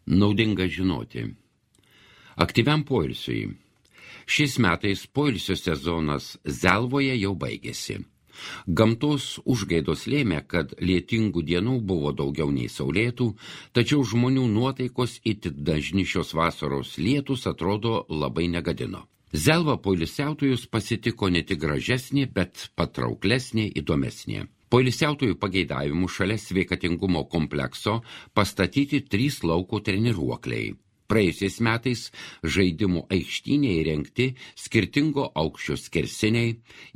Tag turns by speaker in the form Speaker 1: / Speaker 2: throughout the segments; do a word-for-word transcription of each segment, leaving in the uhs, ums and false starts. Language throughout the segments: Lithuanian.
Speaker 1: Naudinga žinoti. Aktyviam poilsiui. Šiais metais poilsio sezonas Zelvoje jau baigėsi. Gamtos užgaidos lėmė, kad lietingų dienų buvo daugiau nei saulėtų, tačiau žmonių nuotaikos itin dažni šios vasaros lietus atrodo labai negadino. Zelva poilsiautojus pasitiko ne tik gražesnė, bet patrauklesnė, įdomesnė. Poilsiautojų pageidavimų šalia sveikatingumo komplekso pastatyti trys lauko treniruokliai. Praėjusiais metais žaidimų aikštynėje įrengti skirtingo aukščio skersiniai,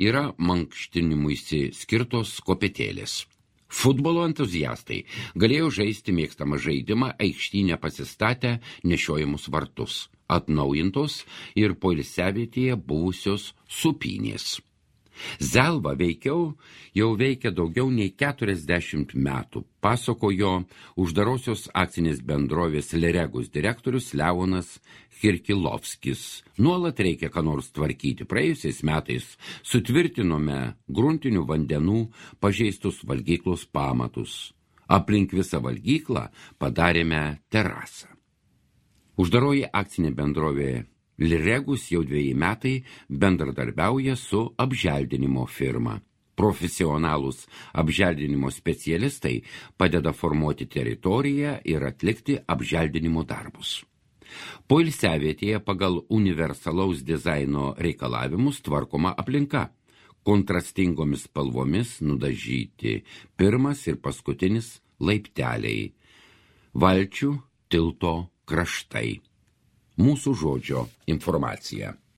Speaker 1: yra mankštinimuisi skirtos kopėtėlės. Futbolo entuziastai galėjo žaisti mėgstamą žaidimą aikštynę pasistatę nešiojamus vartus, atnaujintos ir poilsiavietėje buvusios supynės. Zelva veikiau jau veikia daugiau nei keturiasdešimt metų, pasakojo uždarosios akcinės bendrovės Liregus direktorius Leonas Kirkilovskis. Nuolat reikia ką nors tvarkyti. Praėjusiais metais sutvirtinome gruntinių vandenų pažeistus valgyklos pamatus. Aplink visą valgyklą padarėme terasą. Uždaroji akcinė bendrovė Liregus jau dviejai metai bendradarbiauja su apželdinimo firma. Profesionalūs apželdinimo specialistai padeda formuoti teritoriją ir atlikti apželdinimo darbus. Poilsiavietėje pagal universalaus dizaino reikalavimus tvarkoma aplinka. Kontrastingomis spalvomis nudažyti pirmas ir paskutinis laipteliai. Valčių tilto kraštai. Mūsų žodžio informacija.